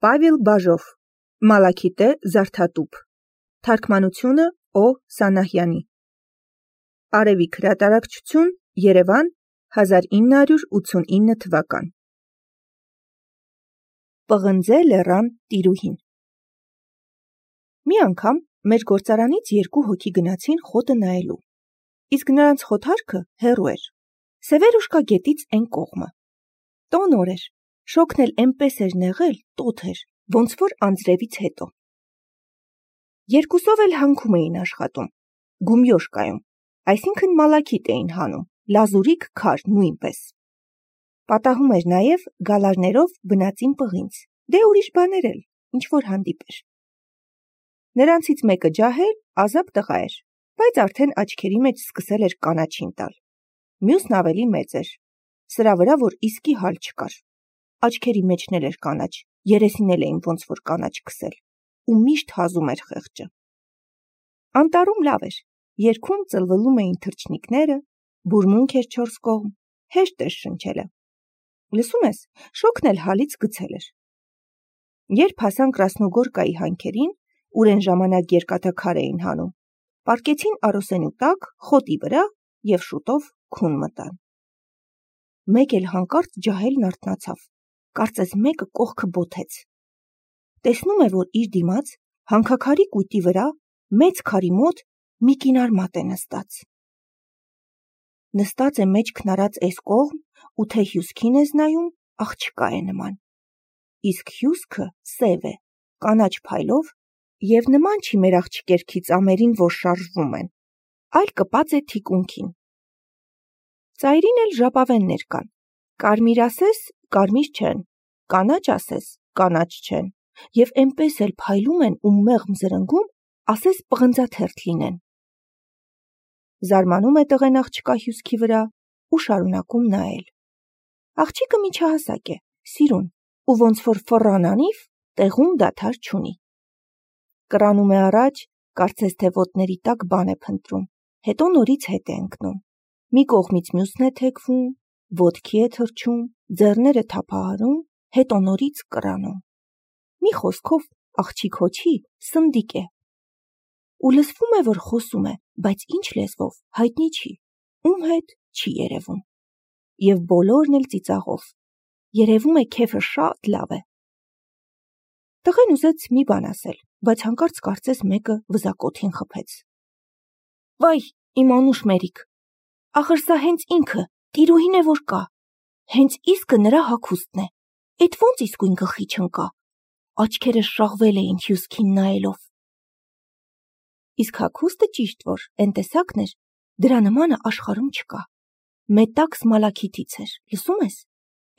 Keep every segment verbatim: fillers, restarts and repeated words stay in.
Պավել Բաժով, Մալաքիտե Զարդատուփ, Թարգմանությունը Օ. Սանահյանի, Արևիկ հրատարակչություն, Երևան, հազար ինը հարյուր ութսունինը թվական։ Պղնձե լեռան տիրուհին։ Մի անգամ մեր գործարանից երկու հոգի գնացին խոտը նայելու, իսկ նրանց խոթարքը հեռու էր, Սևերուշկա գետից այն կողմը։ Տոն օր էր, շոգն էլ էնպես էր նեղել, տոթ էր, ոնց որ անձրևից հետո։ Երկուսով էլ հանքում էին աշխատում, գումյոշկայում, այսինքն մալաքիտ էին հանում, լազուրիկ քար նույնպես։ Պատահում էր նաև գալարներով բնածին պղինձ, դե ուրիշ բաներ էլ, ինչ որ հանդիպեր։ Նրանցից մեկը ջահել, ազատ տղա էր, բայց արդեն աչքերի մեջ սկսել էր կանաչին տալ։ Մյուսն ավելի մեծ էր, սրա վրա որ իսկի հալ չկար։ Աչքերի մեջն էլ էր կանաչ, երեսին էլ էին ոնց որ կանաչ քսել, ու միշտ հազում էր խեղճը։ Անտառում լավ էր, երգում ծլվլում էին թռչնիկները, բուրմունք էր չորս կողմ, հեշտ էր շնչելը։ Լսում ես, շոգն էլ հալից գցել էր։ Երբ հասան Կրասնոգորկայի հանքերին, ուր այն ժամանակ երկաթաքար էին հանում, պառկեցին արոսենու տակ, խոտի վրա և շուտով քուն մտան։ Մեկ էլ հանկարծ ջահելն արթնացավ, կարծես մեկը կողքը բոթեց։ Տեսնում է, որ իր դիմաց հանքաքարի կույտի վրա մեծ քարի մոտ մի կինար մատ է նստած։ Նստած է մեջքն արած էս կողմ ու թե հյուսքին ես նայում, աղջկա է նման, իսկ հյուսքը սև է, կանաչ փայլով և նման չի մեր աղջիկերքի ծամերին, որ շարժվում են, այլ կպած է թիկունքին։ Ծայրին էլ ժապավեններ կան, կարմիր ասես, կարմիր չեն, կանաչ ասես, կանաչ չեն, և էնպես էլ փայլում են ու մեղմ զրնգում, ասես պղնձաթերթ լինեն։ Զարմանում է տղեն աղջկա հյուսքի վրա ու շարունակում նայել։ Աղջիկը միջահասակ է, սիրուն, ու ոնց որ ֆռան անիվ, տեղում դադար չունի։ Կռանում է առաջ, կարծես թե ոտների տակ բան է փնտրում, հետո նորից հետ է ընկնում, մի կողմից մյուսն է թեքվում, ոտքի է թռչում, ձեռները թափահարում, հետո նորից կռանում։ Մի խոսքով աղջիկ հոչի սնդիկ է։ Ու լսվում է, որ խոսում է, բայց ինչ լեզվով, հայտնի չի, ում հետ չի երևում։ Եվ բոլորն էլ ծիծաղով, երևում է քեֆը շատ լավ է։ Տղեն ուզեց մի բան ասել, բայց հանկարծ կարծես մեկը վզակոթին խփեց։ Վայ, իմ անուշ մերիկ, ախր սա հենց ինքը, տիրուհին է որ կա, հենց իսկը նրա հագուստն է, էդ ոնց իսկույն գլխի չընկա, աչքերը շաղվել էին հյուսքին նայելով։ Իսկ հագուստը ճիշտ որ, էն տեսակն էր, դրա նմանը աշխարհում չկա, մետաքս մալաքիթից էր, լսում ես,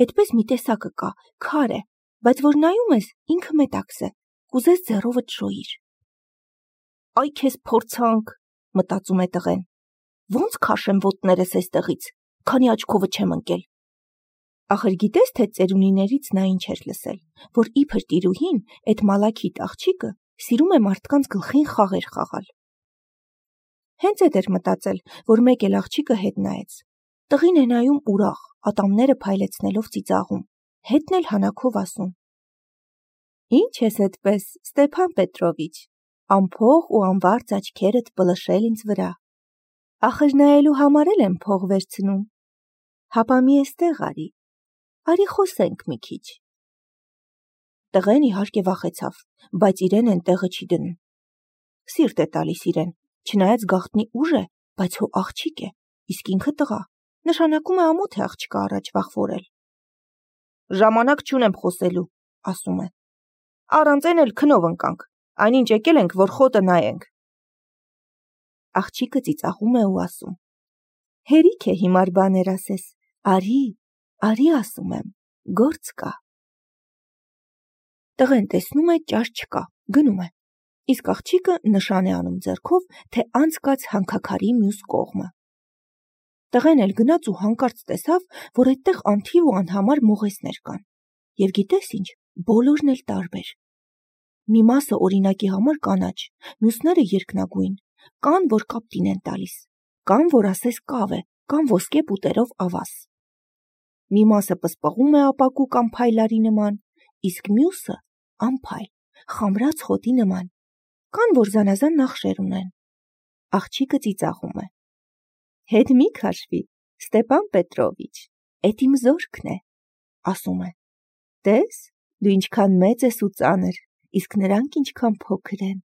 էդպես մի տեսակը կա, քար է, բայց որ նայում ես, ինքը մետաքս է, կուզես ձեռովդ շոյիր։ Այ քեզ փորձանք, մտածում է տղեն, ոնց քաշեմ ոտներս էստեղից, քանի աչքովը չեմ ընկել։ Ախր գիտես, թե ծերունիներից նա ինչ էր լսել, որ իբր տիրուհին, էդ մալաքիթ աղջիկը, սիրում է մարդկանց գլխին խաղեր խաղալ։ Հենց էդ էր մտածել, որ մեկ էլ աղջիկը հետ նայեց։ Տղին է նայում ուրախ, ատամները փայլեցնելով ծիծաղում, հետն էլ հանաքով ասում. Ինչ ես էդպես, Ստեփան Պետրովիչ, անփող ու անվարձ աչքերդ պլշել ինձ վրա։ Ախր նայելու համար էլ եմ փող վերցնում։ Հապա մի էստեղ արի, արի խոսենք մի քիչ։ Տղեն իհարկե վախեցավ, բայց իրեն են տեղը չի դնում։ Սիրտ է տալիս իրեն, չնայած գաղտնի ուժ է, բայց հո աղջիկ է, իսկ ինքը տղա, նշանակում է ամոթ է աղջկա առաջ վախվորել։ Ժամանակ չունեմ խոսելու, ասում է։ Առանց այն էլ քնով ընկանք, այնինչ եկել ենք, որ խոտը նայենք։ Աղջիկը ծիծաղում է ու ասում. Հերիք է հիմար բաներ ասես, արի, արի ասում եմ, գործ կա։ Տղեն տեսնում է ճաշ չկա, գնում է, իսկ աղջիկը նշան է անում ձեռքով, թե անցկաց հանքաքարի մյուս կողմը։ Տղեն էլ գնաց ու հանկարծ տեսավ, որ այդտեղ անթիվ ու անհամար մողեսներ կան, և գիտես ինչ, բոլորն էլ տարբեր։ Մի մասը օրինակի համար կանաչ, մյուսները երկնագույն, կան, որ կապտին են տալիս, կան, որ ասես կավ է, կան ոսկե պուտերով ավաս։ Մի մասը պսպղում է ապակու կամ փայլարի նման, իսկ մյուսը անփայլ, խամրած խոտի նման, կան, որ զանազան նախշեր ունեն։ Աղջիկը ծիծաղում է։ Հետ մի քաշվի, Ստեփան Պետրովիչ, էդ իմ զորքն է, ասում է։ Տես, դու ինչքան մեծ ես ու ծանր, իսկ նրանք ինչքան փոքր են։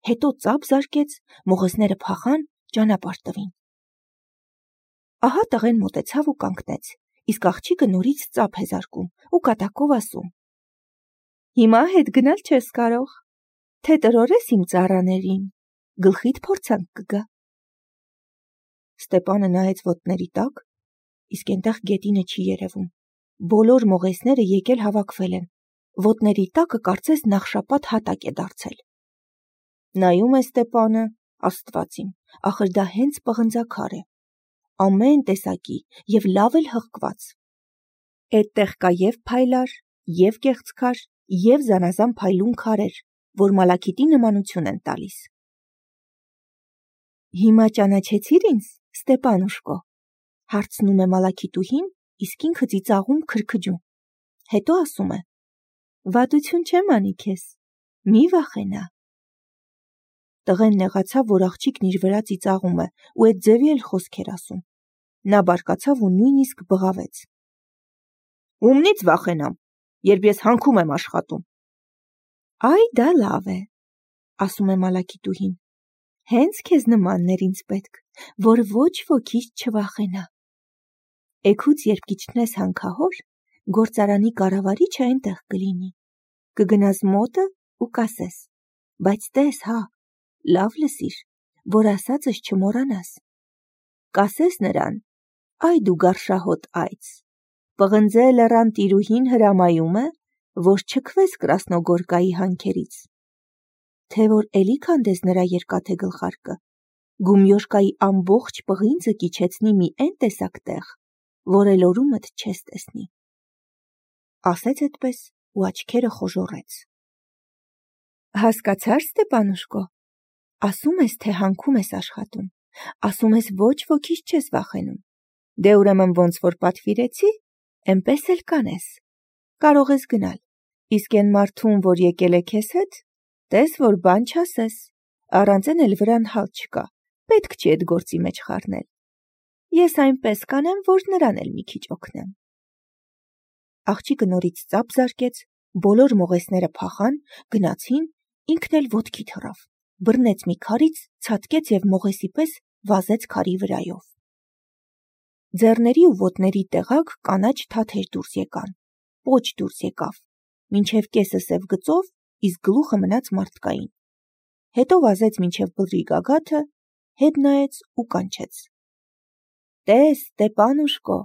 Հետո ծափ զարկեց, մողեսները փախան, ճանապարհ տվին։ Ահա տղեն մոտեցավ ու կանգնեց, իսկ աղջիկը նորից ծափ է զարկում ու կատակով ասում. Հիմա հետ գնալ չես կարող, թե տրորես իմ ծառաներին, գլխիդ փորձանք կգա։ Ստեփանը նայեց ոտների տակ, իսկ այնտեղ գետինը չի երևում։ Բոլոր մողեսները եկել հավաքվել են, ոտների տակը կարծես նախշապատ հատակ է դարձել։ Նայում է Ստեփանը, Աստված իմ, ախր դա հենց պղնձաքար է, ամեն տեսակի եւ լավ էլ հղկված։ Այդտեղ կա եւ փայլար, եւ կեղծքար, եւ զանազան փայլուն քարեր, որ մալաքիթի նմանություն են տալիս։ Հիմա ճանաչեցիր ինձ, Ստեփանուշկո, հարցնում է մալաքիթուհին, իսկ ինքը ծիծաղում քրքջում։ Հետո ասում է. Վատություն չեմ անի քեզ, մի վախենա։ Տղեն նեղացավ, որ աղջիկն իր վրա ծիծաղում է ու այդ ձևի էլ խոսքեր ասում։ Նա բարկացավ ու նույնիսկ բղավեց. Ումնից վախենամ, երբ ես հանքում եմ աշխատում։ Այ դա լավ է, ասում է մալաքիթուհին։ Հենց քեզ նմաններ ինձ պետք, որ ոչ ոքից չվախենա։ Էգուց երբ կիջնես հանքահոր, գործարանի կառավարիչը այնտեղ կլինի։ Կգնաս մոտը ու կասես. բայց տես, հա, լավ լսիր, որ ասածս չմոռանաս։ Կասես նրան. այ դու գարշահոտ այծ, պղնձե լեռան տիրուհին հրամայում է, որ չքվես Կրասնոգորկայի հանքերից։ Թե որ էլի քանդես նրա երկաթե գլխարկը, Գումյոշկայի ամբողջ պղինձը կիչեցնի մի այն տեսակ տեղ, որ էլ օրումդ չես տեսնի։ Ասեց այդպես ու աչքերը խոժոռեց։ Հասկացար, Ստեփանուշկո, ասում ես, թե հանքում ես աշխատում, ասում ես ոչ ոքից չես վախենում, դե ուրեմն ոնց որ պատվիրեցի, էնպես էլ կանես, կարող ես գնալ, իսկ այն մարդուն, որ եկել է քեզ հետ, տես որ բան չասես, առանց այն էլ վրան հալ չկա, պետք չի այդ գործի մեջ խառնել, ես այնպես կանեմ, որ նրան էլ մի քիչ օգնեմ։ Աղջիկը նորից ծափ զարկեց, բոլոր մողեսները փախան, գնացին, ինքն էլ ոտքի թռավ, բռնեց մի քարից, ցատկեց եւ մողեսի պես վազեց քարի վրայով։ Ձեռների ու ոտների տեղակ կանաչ թաթեր դուրս եկան, պոչ դուրս եկավ, մինչև կեսը սև գծով, իսկ գլուխը մնաց մարդկային։ Հետո վազեց մինչև բլրի գագաթը, հետ նայեց ու կանչեց. Տես, Ստեփանուշկո,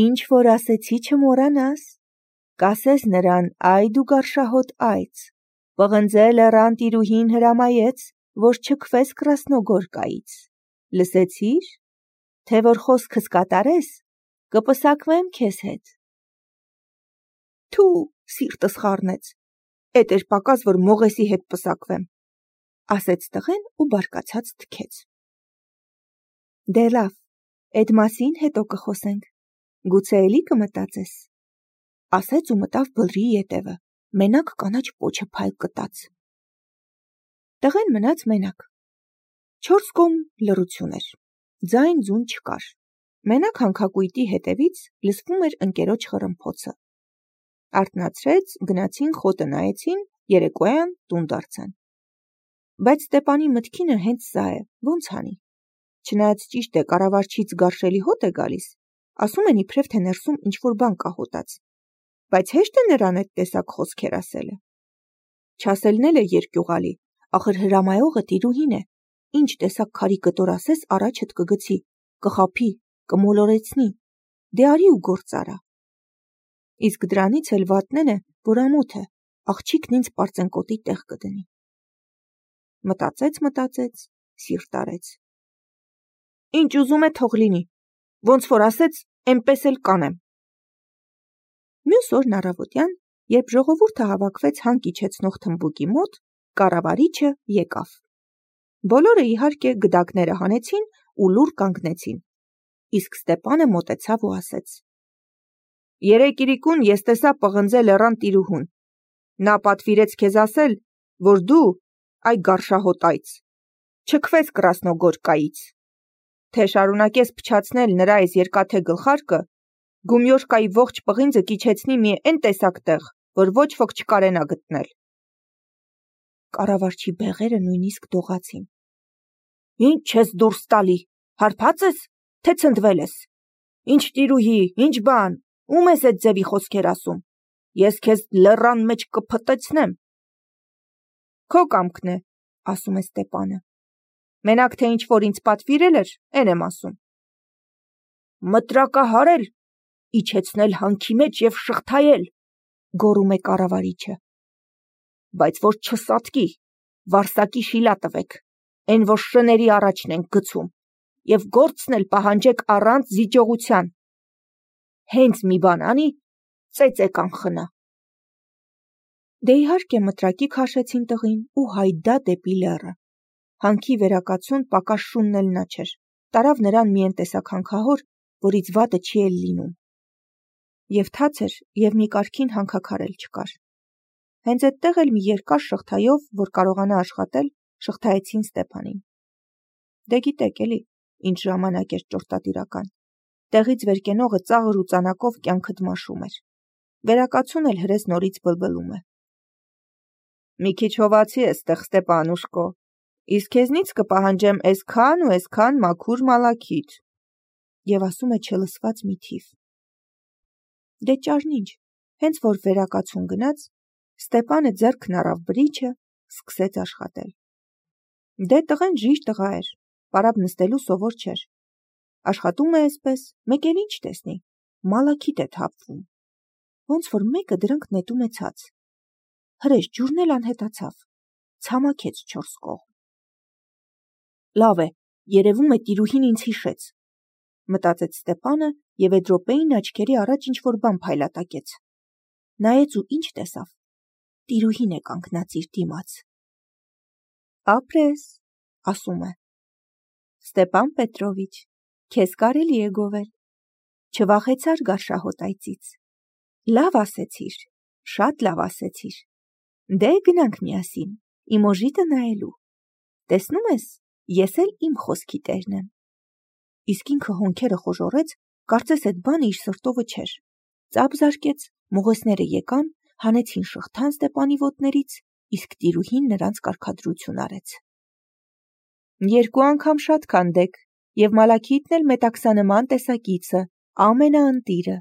ինչ որ ասեցի չմոռանաս, կասես նրան, այ դու գարշահոտ այծ, պղնձե լեռան տիրուհին հրամայեց, որ չքվես Կրասնոգորկայից, լսեցիր, թե որ խոսքս կատարես, կպսակվեմ քեզ հետ։ Թու, սիրտս խառնեց, էդ էր պակաս, որ մողեսի հետ պսակվեմ, ասեց տղեն ու բարկացած թքեց։ Դե լավ, այդ մասին հետո կխոսենք, գուցե էլի կմտածես, ասեց ու մտավ բլրի ետևը, մենակ կանաչ պոչը փայլ կտած։ Տղեն մնաց մենակ։ Չորս կողմ լռություն էր, ձայն ձուն չկար, մենակ հանքակույտի հետևից լսվում էր ընկերոջ խռմփոցը։ Արթնացրեց, գնացին, խոտը նայեցին, երեկոյան տուն դարձան։ Բայց Ստեփանի մտքինը հենց սա է, ոնց անի։ Չնայած ճիշտ է, կառավարչից գարշելի հոտ է գալիս, ասում են իբրև թե ներսում ինչ-որ բան կա հոտած, բայց հեշտ է նրան այդ տեսակ խոսքեր ասելը։ Չասելն էլ է երկյուղալի, ախր հրամայողը տիրուհին է, ինչ տեսակ քարի կտոր ասես առաջդ կգցի, կխափի, կմոլորեցնի, դե արի ու գործ արա։ Իսկ դրանից էլ վատն է, որ ամոթ է, աղջիկն ինձ պարծենկոտի տեղ կդնի։ Մտածեց, մտածեց, սիրտ արեց։ Ինչ ուզում է թող լինի, ոնց որ ասեց, էնպես էլ կանեմ։ Մյուս օրն առավոտյան, երբ ժողովուրդը հավաքվեց հանք իջեցնող թմբուկի մոտ, կառավարիչը եկավ։ Բոլորը իհարկե գդակները հանեցին ու լուռ կանգնեցին, իսկ Ստեփանը մոտեցավ ու ասեց. Երեկ իրիկուն ես տեսա պղնձե լեռան տիրուհուն, Նա պատվիրեց քեզ ասել, որ դու, այ գարշահոտայց, չքվես Կրասնոգորկայից, թե շարունակես փչացնել նրա այս երկաթե գլխարկը, Գումյոշկայի ողջ պղինձը կիչեցնի մի էն տեսակ տեղ, որ ոչ ոք չկարենա գտնել։ Կառավարչի բեղերը նույնիսկ դողացին։ Ինչ ես դուրս տալի, հարբած ես, թե ցնդվել ես։ Ինչ տիրուհի, ինչ բան, ում ես այդ ձևի խոսքեր ասում։ Ես քեզ լեռան մեջ կփտեցնեմ։ Քո կամքն է, ասում է Ստեպանը։ Մենակ թե ինչ որ ինձ պատվիրել էր, էն եմ ասում։ Մտրակահարել, իջեցնել հանքի մեջ եւ շղթայել, գոռում է կառավարիչը։ Բայց որ չսատկի, վարսակի շիլա տվեք, այն որ շների առաջն ենք գցում, եւ գործն էլ պահանջեք առանց զիջողության։ Հենց մի բան անի, ծեծե կանխնա։ Դե իհարկե մտրակի քաշեցին տղին ու հայդա դեպի լեռը։ Հանքի վերակացուն պակաս շունն էլ նա չէր, տարավ նրան մի տեսակ հանքահոր, որից վատը չի էլ լինում։ Եվ թաց էր, եւ մի կարգին հանքաքար էլ չկար։ Հենց այդտեղ էլ մի երկար շղթայով, որ կարողանա աշխատել, շղթայեցին Ստեպանին։ Դե գիտեք էլի, ինչ ժամանակ էր ճորտատիրական։ Տեղից վեր կենողը ծաղր ու ծանակով կյանքդ մաշում էր։ Վերակացուն էլ հրես նորից բլբլում է։ Մի քիչ հովացի է ստեղ Ստեպանուշկո, իսկ քեզնից կպահանջեմ այսքան ու այսքան մաքուր մալաքիթ։ Եվ ասում է չլսված մի թիվ։ Դե ճարնինչ, հենց որ վերակացուն գնաց, Ստեպանը ձեռքն առավ բրիչը, սկսեց աշխատել։ Դե տղեն ժիժ տղա էր, պարապ նստելու սովոր չէր։ Աշխատում է այսպես, մեկ էլ ինչ տեսնի, մալաքիթ է թափվում։ Ոնց որ մեկը դրանք նետում է ցած։ Հրեշ ջուրն էլ անհետացավ, ցամաքեց չորս կողմ։ Լավ է, երևում է տիրուհին ինձ հիշեց, մտածեց Ստեպանը եւ այդ րոպեին աչքերի առաջ ինչ որ բան փայլատակեց։ Նայեց ու ինչ տեսավ։ Տիրուհին է կանգնած իր դիմաց։ Ապրես, ասում է։ Ստեպան Պետրովիչ, քեզ կարելի է գովել։ Չվախեցար գարշահոտայցից։ Լավ ասեցիր, շատ լավ ասեցիր։ Դե գնանք միասին, իմ օժիտը նայելու։ Տեսնում ես, ես էլ իմ խոսքի տերն եմ։ Իսկ ինքը հոնքերը խոժորեց, կարծես այդ բանը իր սրտովը չէր։ Ծափ զարկեց, մողեսները եկան, հանեցին շղթան Ստեպանի ոտներից, իսկ տիրուհին նրանց կարգադրություն արեց։ Երկու անգամ շատ քանդեք, եւ մալաքիթն էլ մետաքսանման տեսակիցը, ամենաընտիրը։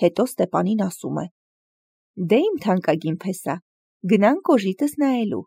Հետո Ստեպանին ասում է. Դե իմ թանկագին փեսա, գնանք օժիտս նայելու։